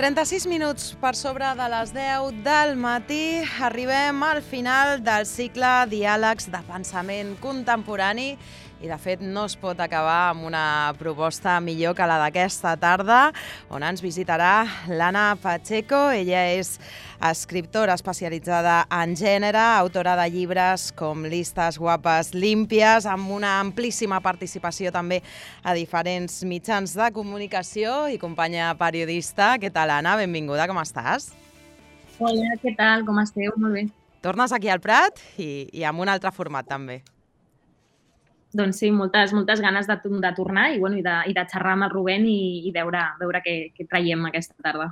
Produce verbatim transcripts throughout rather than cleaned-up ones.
trenta-sis minuts per sobre de les deu del matí arribem al final del cicle Diàlegs de Pensament Contemporani i, de fet, no es pot acabar amb una proposta millor que la d'aquesta tarda, on ens visitarà l'Anna Pacheco. Ella és escriptora especialitzada en gènere, autora de llibres com Listes guapes límpies, amb una amplíssima participació també a diferents mitjans de comunicació i companya periodista. Què tal, Anna? Benvinguda, com estàs? Hola, què tal? Com esteu? Molt bé. Tornes aquí al Prat i, i amb un altre format, també. Doncs sí, moltes, moltes ganes de, de tornar i, bueno, i, de, i de xerrar amb el Rubén i, i veure, veure què, què traiem aquesta tarda.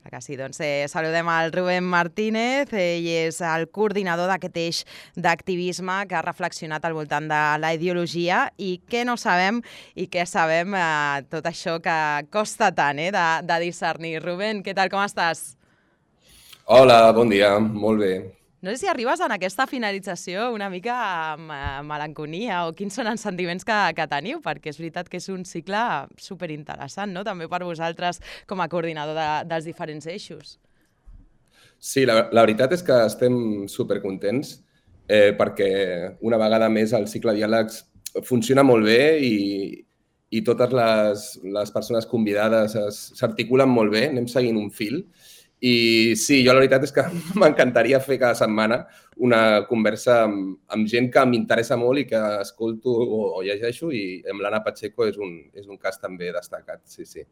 Clar que sí, doncs eh, saludem al Rubén Martínez. Ell és el coordinador d'aquest eix d'activisme que ha reflexionat al voltant de la ideologia i què no sabem i què sabem, eh, tot això que costa tant eh, de, de discernir. Rubén, què tal, com estàs? Hola, bon dia, molt bé. No sé si arribes en aquesta finalització una mica amb melancolia o quins són els sentiments que, que teniu, perquè és veritat que és un cicle superinteressant, no? També per vosaltres com a coordinador de, dels diferents eixos. Sí, la, la veritat és que estem supercontents eh, perquè una vegada més el cicle Diàlegs funciona molt bé i, i totes les, les persones convidades s'articulen molt bé, anem seguint un fil. I sí, jo la veritat és que m'encantaria fer cada setmana una conversa amb, amb gent que m'interessa molt i que escolto o, o llegeixo, i amb l'Anna Pacheco és un, és un cas també destacat, sí, sí.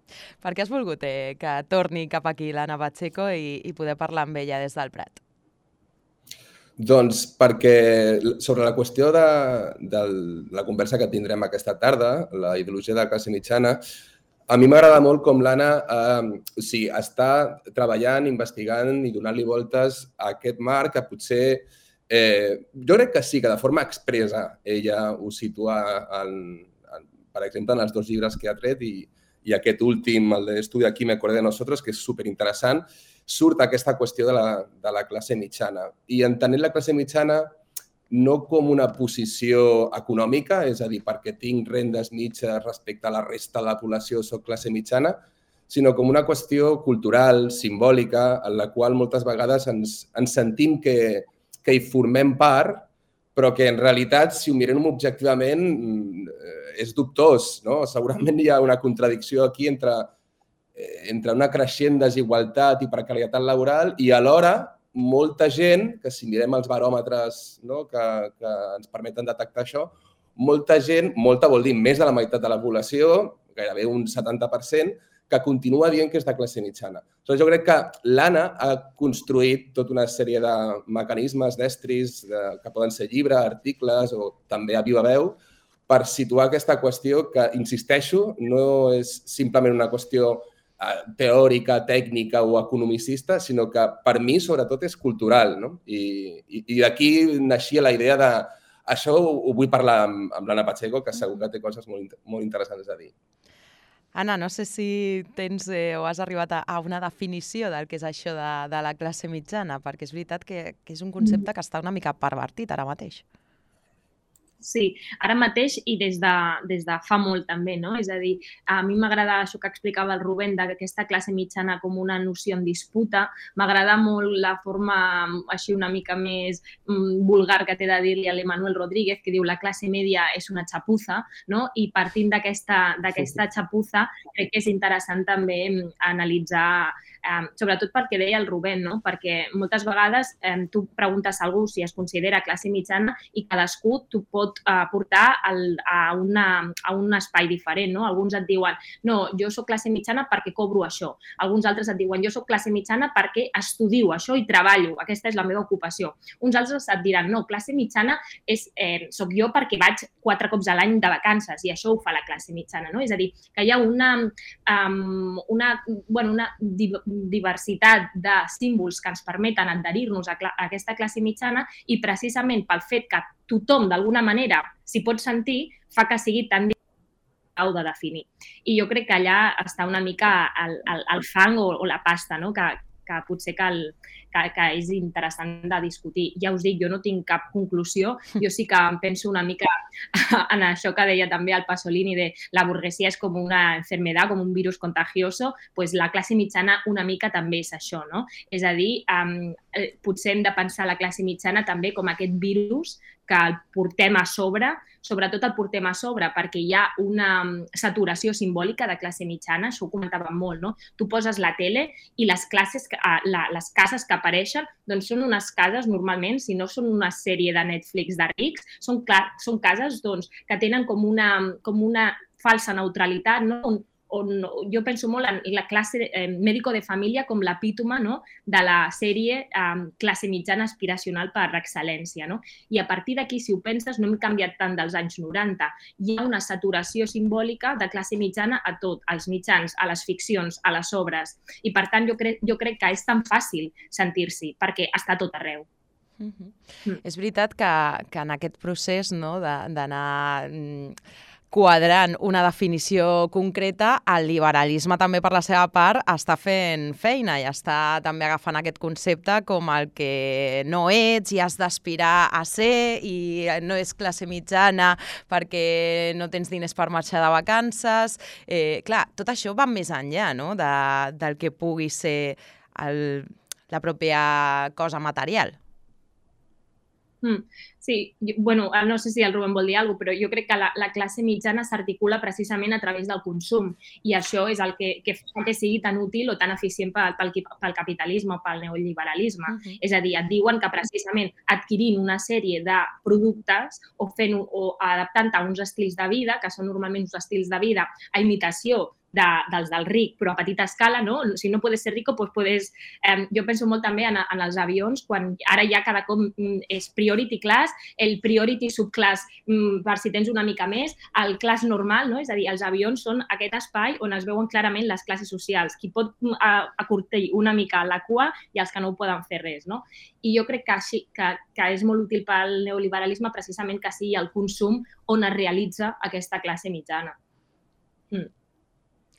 Per què has volgut eh, que torni cap aquí l'Anna Pacheco i, i poder parlar amb ella des del Prat? Doncs perquè sobre la qüestió de, de la conversa que tindrem aquesta tarda, la ideologia de la classe mitjana, a mi m'agrada molt com l'Anna eh, o sigui, està treballant, investigant i donant-li voltes a aquest marc que potser, eh, jo crec que sí, que de forma expressa ella ho situa, en, en, per exemple, en els dos llibres que ha tret i, i aquest últim, el d'Estudi aquí me acordé de nosotros, que és superinteressant, surt aquesta qüestió de la, de la classe mitjana. I entenent la classe mitjana no com una posició econòmica, és a dir, perquè tinc rendes mitges respecte a la resta de la població, soc classe mitjana, sinó com una qüestió cultural, simbòlica, en la qual moltes vegades ens, ens sentim que, que hi formem part, però que en realitat, si ho mirem objectivament, és dubtós, no? Segurament hi ha una contradicció aquí entre, entre una creixent desigualtat i precarietat laboral i alhora molta gent, que si mirem els baròmetres, no, que, que ens permeten detectar això, molta gent, molta vol dir més de la meitat de la població, gairebé un setanta per cent, que continua dient que és de classe mitjana. Aleshores, jo crec que l'Anna ha construït tota una sèrie de mecanismes, d'estris, de, que poden ser llibres, articles o també a viva veu, per situar aquesta qüestió que, insisteixo, no és simplement una qüestió teòrica, tècnica o economicista, sinó que per mi sobretot és cultural, no? I, i, i d'aquí naixia la idea de això ho vull parlar amb, amb l'Anna Pacheco, que segur que té coses molt, molt interessants a dir. Anna, no sé si tens eh, o has arribat a, a una definició del que és això de, de la classe mitjana, perquè és veritat que, que és un concepte que està una mica pervertit ara mateix. Sí, ara mateix i des de, des de fa molt també, no? És a dir, a mi m'agrada això que explicava el Rubén d'aquesta classe mitjana com una noció en disputa, m'agrada molt la forma així una mica més mm, vulgar que té de dir-li a l'Emanuel Rodríguez, que diu la classe media és una xapuza, no? I partint d'aquesta d'aquesta xapuza crec que és interessant també analitzar, eh, sobretot pel que deia el Rubén, no? Perquè moltes vegades eh, tu preguntes a algú si es considera classe mitjana i cadascú t'ho pot portar al, a, una, a un espai diferent, no? Alguns et diuen, no, jo soc classe mitjana perquè cobro això. Alguns altres et diuen, jo soc classe mitjana perquè estudio això i treballo, aquesta és la meva ocupació. Uns altres et diran, no, classe mitjana és, eh, soc jo perquè vaig quatre cops a l'any de vacances i això ho fa la classe mitjana, no? És a dir, que hi ha una, um, una, bueno, una diversitat de símbols que ens permeten adherir-nos a, a aquesta classe mitjana i precisament pel fet que tothom, d'alguna manera, s'hi pot sentir, fa que sigui tan difícil de definir. I jo crec que allà està una mica el, el, el fang o, o la pasta, no? que, que potser cal, que, que és interessant de discutir. Ja us dic, jo no tinc cap conclusió, jo sí que em penso una mica en això que deia també el Pasolini de la burguesia és com una enfermedad, com un virus contagioso, pues la classe mitjana una mica també és això, no? És a dir, um, potser hem de pensar la classe mitjana també com aquest virus que el portem a sobre, sobretot el portem a sobre perquè hi ha una saturació simbòlica de classe mitjana, això ho comentàvem molt, no? Tu poses la tele i les classes, la, les cases que apareixen doncs són unes cases normalment, si no són una sèrie de Netflix de rics, són, són cases doncs, que tenen com una, com una falsa neutralitat, no? On, on jo penso molt en la classe eh, mèdico de família com l'epítome, no? De la sèrie eh, classe mitjana aspiracional per excel·lència. No? I a partir d'aquí, si ho penses, no hem canviat tant dels anys noranta. Hi ha una saturació simbòlica de classe mitjana a tot, als mitjans, a les ficcions, a les obres. I per tant, jo crec, jo crec que és tan fàcil sentir-s'hi, perquè està a tot arreu. Mm-hmm. Mm. És veritat que, que en aquest procés, no, d'anar quadrant una definició concreta, el liberalisme també per la seva part està fent feina i està també agafant aquest concepte com el que no ets i has d'aspirar a ser i no és classe mitjana perquè no tens diners per marxar de vacances. Eh, clar, tot això va més enllà, no? de, del que pugui ser el, la pròpia cosa material. Mm, sí, jo, bueno, no sé si el Rubén vol dir alguna cosa, però jo crec que la, la classe mitjana s'articula precisament a través del consum i això és el que, que fa que sigui tan útil o tan eficient pel, pel, pel capitalisme o pel neoliberalisme. Uh-huh. És a dir, et diuen que precisament adquirint una sèrie de productes o, fent, o adaptant a uns estils de vida, que són normalment uns estils de vida a imitació De, dels del ric, però a petita escala, no? Si no puedes ser rico, pues puedes... Eh, jo penso molt també en, en els avions, quan ara ja cada cop és priority class, el priority subclass, per si tens una mica més, el class normal, no? És a dir, els avions són aquest espai on es veuen clarament les classes socials, qui pot acurtir una mica la cua i els que no ho poden fer res, no? I jo crec que, així, que, que és molt útil pel neoliberalisme precisament que sigui el consum on es realitza aquesta classe mitjana. Mm.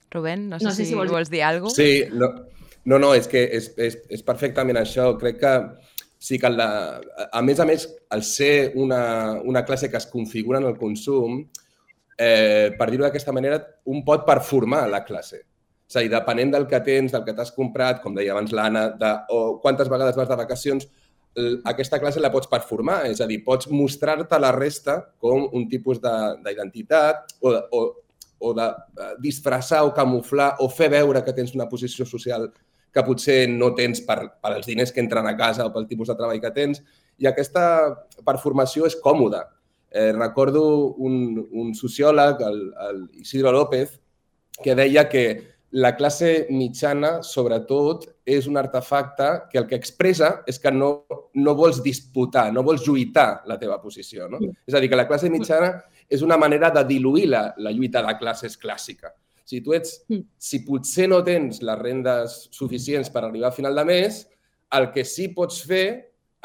Rubén, no sé, no sé si, si vols, vols dir alguna cosa. Sí, no, no, no és que és, és, és perfectament això. Crec que sí que, la, a més a més, al ser una, una classe que es configura en el consum, eh, per dir-ho d'aquesta manera, un pot performar la classe. És a dir, depenent del que tens, del que t'has comprat, com deia abans l'Anna, de, o quantes vegades vas de vacacions, aquesta classe la pots performar. És a dir, pots mostrar-te a la resta com un tipus d'identitat o, o o de disfressar o camuflar o fer veure que tens una posició social que potser no tens per, per als diners que entren a casa o pel tipus de treball que tens. I aquesta performació és còmoda. Eh, recordo un, un sociòleg, el, el Isidro López, que deia que la classe mitjana, sobretot, és un artefacte que el que expressa és que no, no vols disputar, no vols lluitar la teva posició. No? És a dir, que la classe mitjana és una manera de diluir la, la lluita de classes clàssica. Si tu ets, si potser no tens les rendes suficients per arribar a final de mes, el que sí pots fer,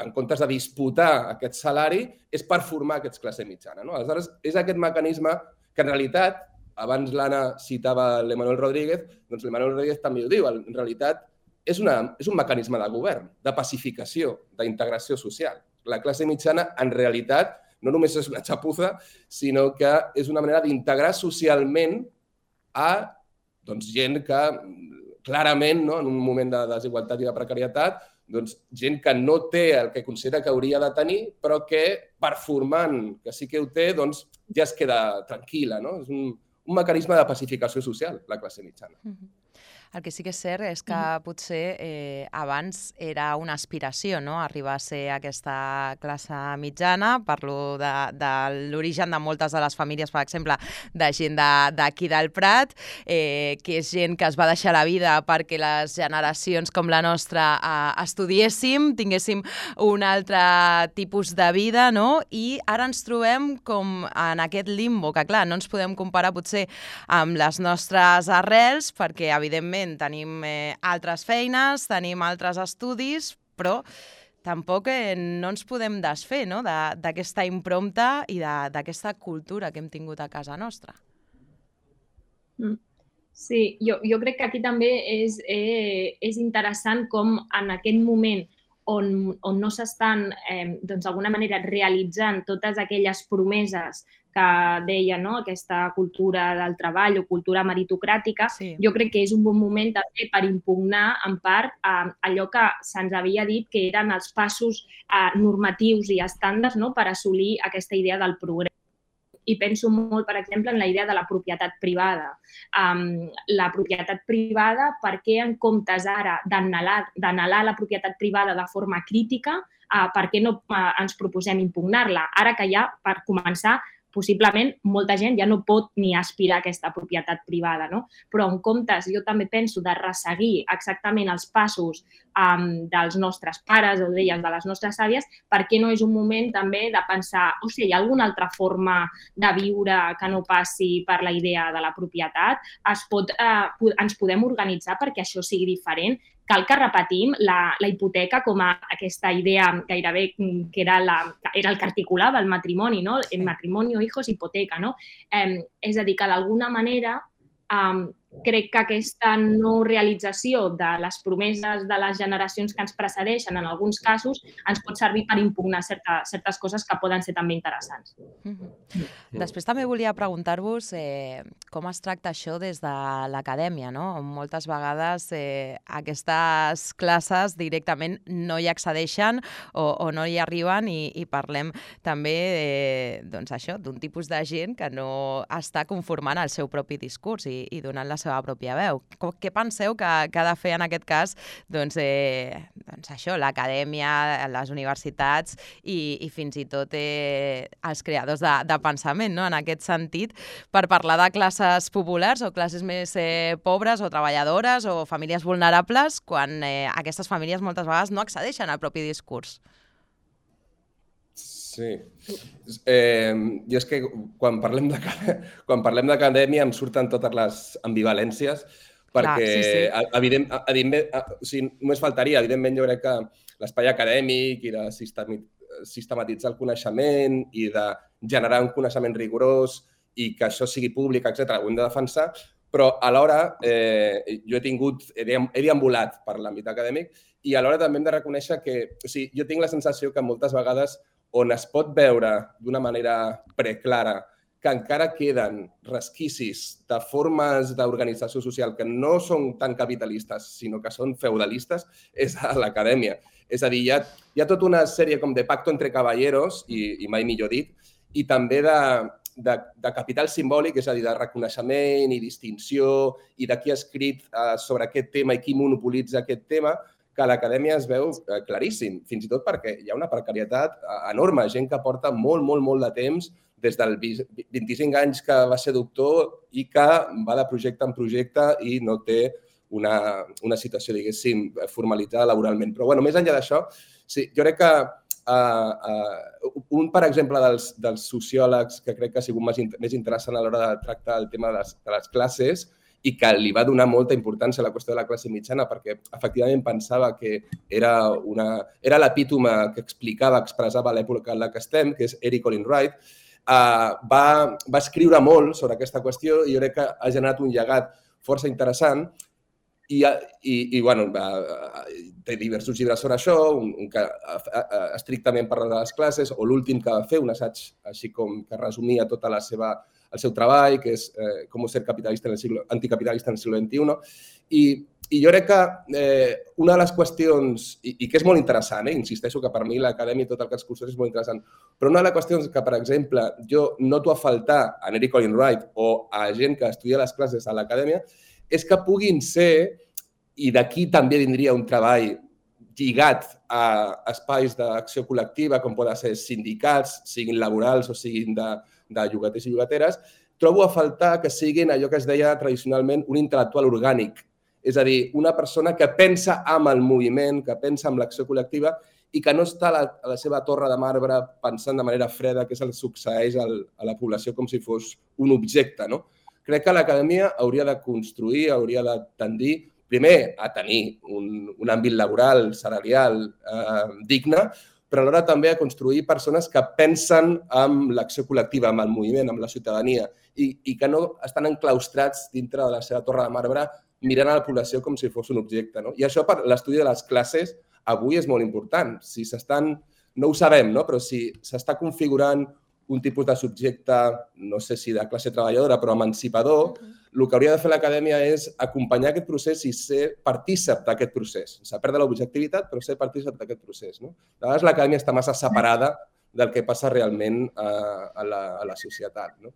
en comptes de disputar aquest salari, és performar aquesta classe mitjana. No? Aleshores, és aquest mecanisme que en realitat, abans l'Anna citava l'Emanuel Rodríguez, doncs l'Emanuel Rodríguez també ho diu, en realitat és, una, és un mecanisme de govern, de pacificació, d'integració social. La classe mitjana, en realitat, no només és una xapuza, sinó que és una manera d'integrar socialment a doncs, gent que clarament, no, en un moment de desigualtat i de precarietat, doncs, gent que no té el que considera que hauria de tenir, però que performant que sí que ho té, doncs, ja es queda tranquil·la. No? És un, un mecanisme de pacificació social, la classe mitjana. Mm-hmm. El que sí que és cert és que potser eh, abans era una aspiració, no?, arribar a ser aquesta classe mitjana. Parlo de, de l'origen de moltes de les famílies, per exemple, de gent d'aquí del Prat, eh, que és gent que es va deixar la vida perquè les generacions com la nostra eh, estudiéssim, tinguéssim un altre tipus de vida, no? I ara ens trobem com en aquest limbo, que clar, no ens podem comparar potser amb les nostres arrels, perquè evidentment tenim eh, altres feines, tenim altres estudis, però tampoc eh, no ens podem desfer, no?, d'aquesta impremta i d'aquesta cultura que hem tingut a casa nostra. Mm. Sí, jo, jo crec que aquí també és, eh, és interessant com en aquest moment on, on no s'estan, eh, doncs, d'alguna manera, realitzant totes aquelles promeses que deia, no?, aquesta cultura del treball o cultura meritocràtica, Sí. jo crec que és un bon moment també per impugnar, en part, eh, allò que se'ns havia dit que eren els passos eh, normatius i estàndards, no?, per assolir aquesta idea del progrés. I penso molt, per exemple, en la idea de la propietat privada. Um, la propietat privada, per què en comptes ara d'anhelar la propietat privada de forma crítica, uh, per què no uh, ens proposem impugnar-la? Ara que ja, per començar, possiblement molta gent ja no pot ni aspirar a aquesta propietat privada, no? Però en comptes, jo també penso de resseguir exactament els passos um, dels nostres pares o d'elles, de les nostres àvies, per què no és un moment també de pensar, o sigui, hi ha alguna altra forma de viure que no passi per la idea de la propietat? Es pot, eh, ens podem organitzar perquè això sigui diferent? Cal que repetim la, la hipoteca com a aquesta idea gairebé que era, la, era el que articulava el matrimoni, no? El matrimoni, hijos, hipoteca, no? Eh, és a dir, que d'alguna manera eh, crec que aquesta no realització de les promeses de les generacions que ens precedeixen, en alguns casos, ens pot servir per impugnar certa, certes coses que poden ser també interessants. Mm-hmm. Després també volia preguntar-vos eh, com es tracta això des de l'acadèmia, no? Moltes vegades eh, aquestes classes directament no hi accedeixen o, o no hi arriben i, i parlem també eh, doncs això, d'un tipus de gent que no està conformant el seu propi discurs i, i donant la seva pròpia veu. Què penseu que, que ha de fer en aquest cas doncs, eh, doncs això, l'acadèmia, les universitats i, i fins i tot eh, els creadors de, de pensament, no? En aquest sentit, per parlar de classes populars o classes més eh, pobres o treballadores o famílies vulnerables, quan eh, aquestes famílies moltes vegades no accedeixen al propi discurs? Sí. Eh, I és que quan parlem de, quan parlem d'acadèmia em surten totes les ambivalències perquè, Clar, sí, sí. Evident, evidentment, o sigui, només faltaria, evidentment jo crec que l'espai acadèmic i de sistematitzar el coneixement i de generar un coneixement rigorós i que això sigui públic, etcètera, ho hem de defensar, però alhora eh, jo he tingut, he deambulat per l'àmbit acadèmic i alhora també hem de reconèixer que, o sigui, jo tinc la sensació que moltes vegades on es pot veure d'una manera preclara que encara queden resquicis de formes d'organització social que no són tan capitalistes, sinó que són feudalistes, és a l'acadèmia. És a dir, hi ha, hi ha tota una sèrie com de pacto entre caballeros, i, i mai millor dit, i també de, de, de capital simbòlic, és a dir, de reconeixement i distinció, i de qui ha escrit uh, sobre aquest tema i qui monopolitza aquest tema, que a l'acadèmia es veu claríssim, fins i tot perquè hi ha una precarietat enorme, gent que porta molt, molt, molt de temps, des dels vint-i-cinc anys que va ser doctor i que va de projecte en projecte i no té una, una situació, diguéssim, formalitzada laboralment. Però, bueno, més enllà d'això, sí, jo crec que uh, uh, un, per exemple, dels, dels sociòlegs que crec que ha sigut més, més interessant a l'hora de tractar el tema de les, de les classes i que li va donar molta importància a la qüestió de la classe mitjana perquè efectivament pensava que era, una, era l'epítome que explicava, expressava l'època en la que estem, que és Eric Olin Wright, uh, va, va escriure molt sobre aquesta qüestió i jo crec que ha generat un llegat força interessant i, i, i bueno, uh, té diversos llibres sobre això, un, un que uh, uh, estrictament parla de les classes o l'últim que va fer, un assaig així com que resumia tota la seva el seu treball, que és eh, com ser capitalista en el siglo, anticapitalista en el segle vint-i-u. I, i jo crec que eh, una de les qüestions, i, i que és molt interessant, eh, insisteixo que per mi l'acadèmia i tot el que els cursos és molt interessant, però una de les qüestions que, per exemple, jo noto a faltar a Eric Olin Wright o a gent que estudia les classes a l'acadèmia és que puguin ser, i d'aquí també vindria un treball lligat a espais d'acció col·lectiva, com poden ser sindicats, siguin laborals o siguin de, de llogaters i llogateres, trobo a faltar que siguin allò que es deia tradicionalment un intel·lectual orgànic. És a dir, una persona que pensa amb el moviment, que pensa amb l'acció col·lectiva i que no està a la, a la seva torre de marbre pensant de manera freda què se'l succeeix al, a la població com si fos un objecte, no? Crec que l'acadèmia hauria de construir, hauria de tendir primer, a tenir un, un àmbit laboral, salarial, eh, digne, però alhora també a construir persones que pensen amb l'acció col·lectiva, amb el moviment, amb la ciutadania, i, i que no estan enclaustrats dintre de la seva torre de marbre mirant a la població com si fos un objecte. No? I això per l'estudi de les classes avui és molt important. Si s'estan, no ho sabem, no? Però si s'està configurant un tipus de subjecte, no sé si de classe treballadora, però emancipador, el que hauria de fer l'acadèmia és acompanyar aquest procés i ser partícip d'aquest procés. Sense perdre l'objectivitat, però ser partícip d'aquest procés. No? De vegades l'acadèmia està massa separada del que passa realment a, a, la, a la societat. No?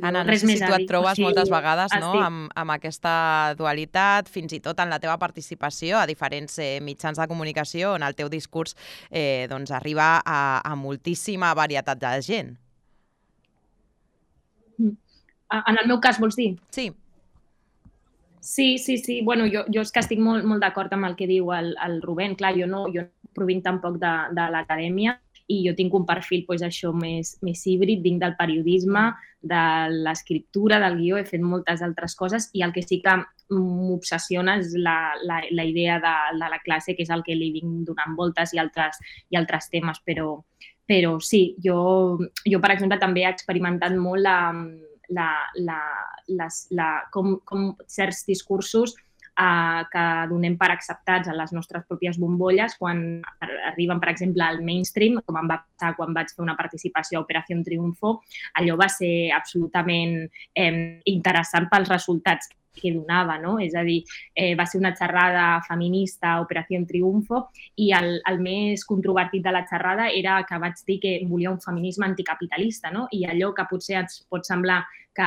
Anna, no sé si tu et trobes moltes vegades no? amb, amb aquesta dualitat, fins i tot en la teva participació a diferents eh, mitjans de comunicació on el teu discurs eh, doncs arriba a, a moltíssima varietat de gent. En el meu cas, vols dir? Sí. Sí, sí, sí. Bueno, jo, jo és que estic molt, molt d'acord amb el que diu el, el Rubén. Clar, jo no, jo no provinc tampoc de, de l'acadèmia i jo tinc un perfil pues, això més, més híbrid, vinc del periodisme, de l'escriptura, del guió, he fet moltes altres coses i el que sí que m'obsessiona és la, la, la idea de, de la classe, que és el que li vinc donant voltes i altres, i altres temes, però, però sí, jo, jo, per exemple, també he experimentat molt la, la, la, les, la, com, com certs discursos eh, que donem per acceptats a les nostres pròpies bombolles quan arriben, per exemple, al mainstream, com em va passar quan vaig fer una participació a Operació Triunfo. Allò va ser absolutament eh, interessant pels resultats que donava, no? És a dir, eh, va ser una xerrada feminista a Operació Triunfo i el, el més controvertit de la xerrada era que vaig dir que volia un feminisme anticapitalista, no? I allò que potser ens pot semblar que,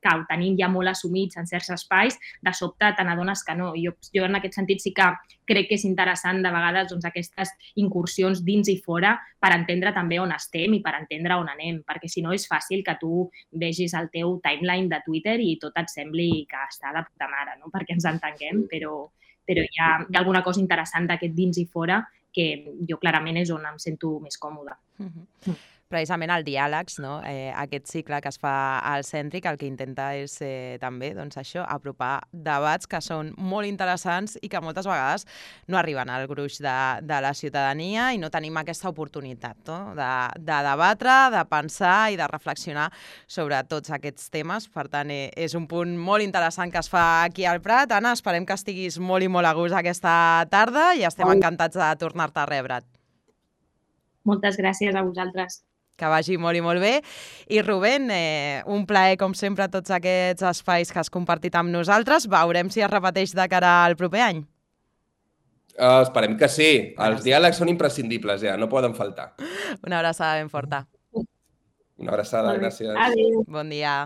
que ho tenim ja molt assumits en certs espais, de sobte te n'adones que no. Jo, jo en aquest sentit sí que crec que és interessant de vegades doncs, aquestes incursions dins i fora per entendre també on estem i per entendre on anem, perquè si no és fàcil que tu vegis el teu timeline de Twitter i tot et sembli que està de puta mare, no? Perquè ens entenguem, però, però hi, ha, hi ha alguna cosa interessant d'aquest dins i fora que jo clarament és on em sento més còmoda. Mm-hmm. Mm. Precisament el Diàlegs, no? eh, aquest cicle que es fa al Cèntric, el que intenta és eh, també doncs això, apropar debats que són molt interessants i que moltes vegades no arriben al gruix de, de la ciutadania i no tenim aquesta oportunitat no? de, de debatre, de pensar i de reflexionar sobre tots aquests temes. Per tant, eh, és un punt molt interessant que es fa aquí al Prat. Anna, esperem que estiguis molt i molt a gust aquesta tarda i estem encantats de tornar-te a rebre't. Moltes gràcies a vosaltres. Que vagi molt i molt bé. I Rubén, eh, un plaer, com sempre, tots aquests espais que has compartit amb nosaltres. Veurem si es repeteix de cara al proper any. Uh, esperem que sí. Els diàlegs són imprescindibles, ja, no poden faltar. Una abraçada ben forta. Una abraçada, gràcies. Adéu. Bon dia.